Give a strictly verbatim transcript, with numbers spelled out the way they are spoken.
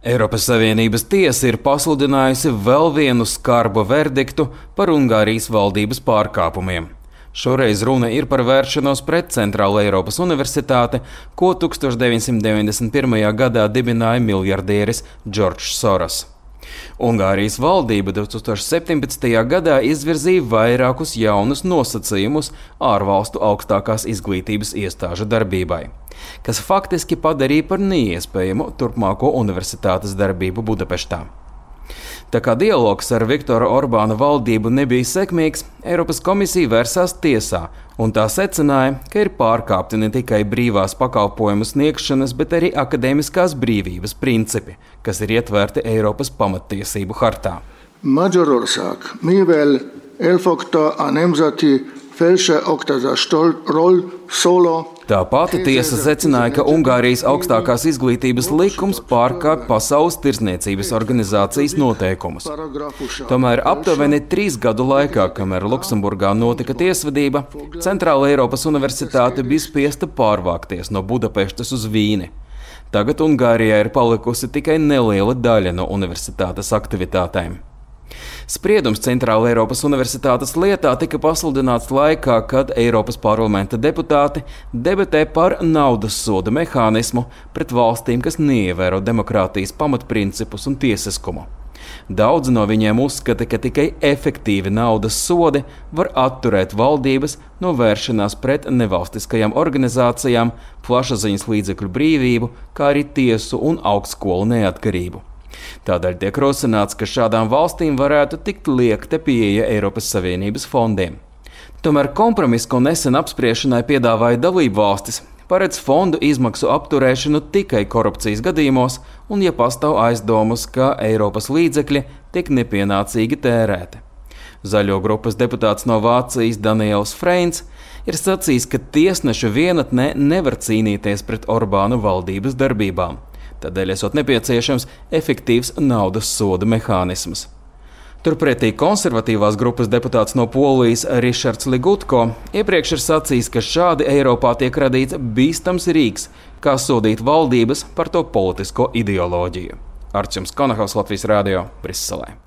Eiropas Savienības tiesa ir pasludinājusi vēl vienu skarbu verdiktu par Ungārijas valdības pārkāpumiem. Šoreiz runa ir par vēršanos pret Centrālo Eiropas Universitāti, ko tuksstoš deviņsimt deviņdesmit pirmajā gadā dibināja miljardieris Džordžs Soros. Ungārijas valdība divtūkstoš septiņpadsmitajā gadā izvirzīja vairākus jaunus nosacījumus ārvalstu augstākās izglītības iestāžu darbībai, kas faktiski padarīja par neiespējamu turpmāko universitātes darbību Budapeštā. Tā kā dialogs ar Viktora Orbāna valdību nebija sekmīgs, Eiropas komisija vērsās tiesā, un tā secināja, ka ir pārkāpti ne tikai brīvās pakalpojumu sniegšanas, bet arī akadēmiskās brīvības principi, kas ir ietverti Eiropas pamattiesību hartā. Magyarország, mivel elfogta a nemzeti felsőoktatásról szóló Tā pati tiesa secināja, ka Ungārijas augstākās izglītības likums pārkāpj Pasaules tirdzniecības organizācijas noteikumus. Tomēr aptuveni trīs gadu laikā, kamēr Luksemburgā notika tiesvedība, Centrāla Eiropas Universitāte bija spiesta pārvākties no Budapeštas uz Vīni. Tagad Ungārijā ir palikusi tikai neliela daļa no universitātes aktivitātēm. Spriedums Centrāla Eiropas Universitātes lietā tika pasludināts laikā, kad Eiropas parlamenta deputāti debatē par naudas soda mehānismu pret valstīm, kas neievēro demokrātijas pamatprincipus un tiesiskumu. Daudzi no viņiem uzskata, ka tikai efektīvi naudas sodi var atturēt valdības no vēršanās pret nevalstiskajām organizācijām, plašsaziņas līdzekļu brīvību, kā arī tiesu un augstskolu neatkarību. Tādēļ tiek rosināts, ka šādām valstīm varētu tikt liekta pieeja Eiropas Savienības fondiem. Tomēr kompromiss, ko nesen apspriešanai piedāvāja dalību valstis, paredz fondu izmaksu apturēšanu tikai korupcijas gadījumos un, ja pastāv aizdomas, ka Eiropas līdzekļi tiek nepienācīgi tērēti. Zaļo grupas deputāts no Vācijas Daniels Freins ir sacījis, ka tiesneša vienatnē nevar cīnīties pret Orbānu valdības darbībām. Tādēļ esot nepieciešams efektīvs naudas soda mehānisms. Turpretī konservatīvās grupas deputāts no Polijas Rišards Ligutko iepriekš ir sacījis, ka šādi Eiropā tiek radīts bīstams rīks, kā sodīt valdības par to politisko ideoloģiju. Arčuns Konahaus, Latvijas radio, Briselē.